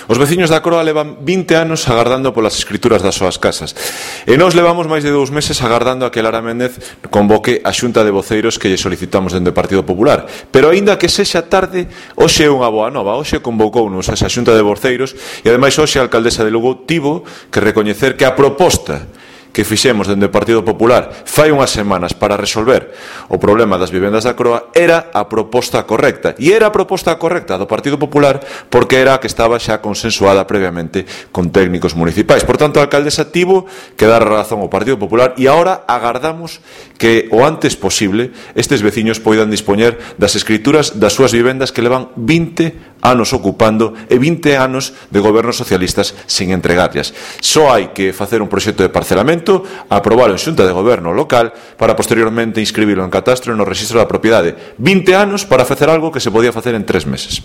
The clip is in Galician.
Os veciños da Croa levan 20 anos agardando polas escrituras das súas casas e nós levamos máis de 2 meses agardando a que Lara Méndez convoque a xunta de voceiros que lle solicitamos dende o Partido Popular. Pero aínda que sexa tarde, hoxe é unha boa nova. Hoxe convocounos a esa xunta de voceiros e ademais hoxe a alcaldesa de Lugo tivo que recoñecer que a proposta que fixemos dende o Partido Popular fai unhas semanas para resolver o problema das vivendas da Croa era a proposta correcta. E era a proposta correcta do Partido Popular porque era a que estaba xa consensuada previamente con técnicos municipais. Por tanto, a alcaldesa tivo que dar a razón ao Partido Popular e agora agardamos que o antes posible estes veciños poidan dispoñer das escrituras das súas vivendas que levan 20 anos ocupando e 20 anos de gobernos socialistas sin entregarlas. Só hai que facer un proxecto de parcelamento, aprobar en xunta de goberno local para posteriormente inscribilo en catastro e no rexistro da propiedade. 20 anos para facer algo que se podía facer en 3 meses.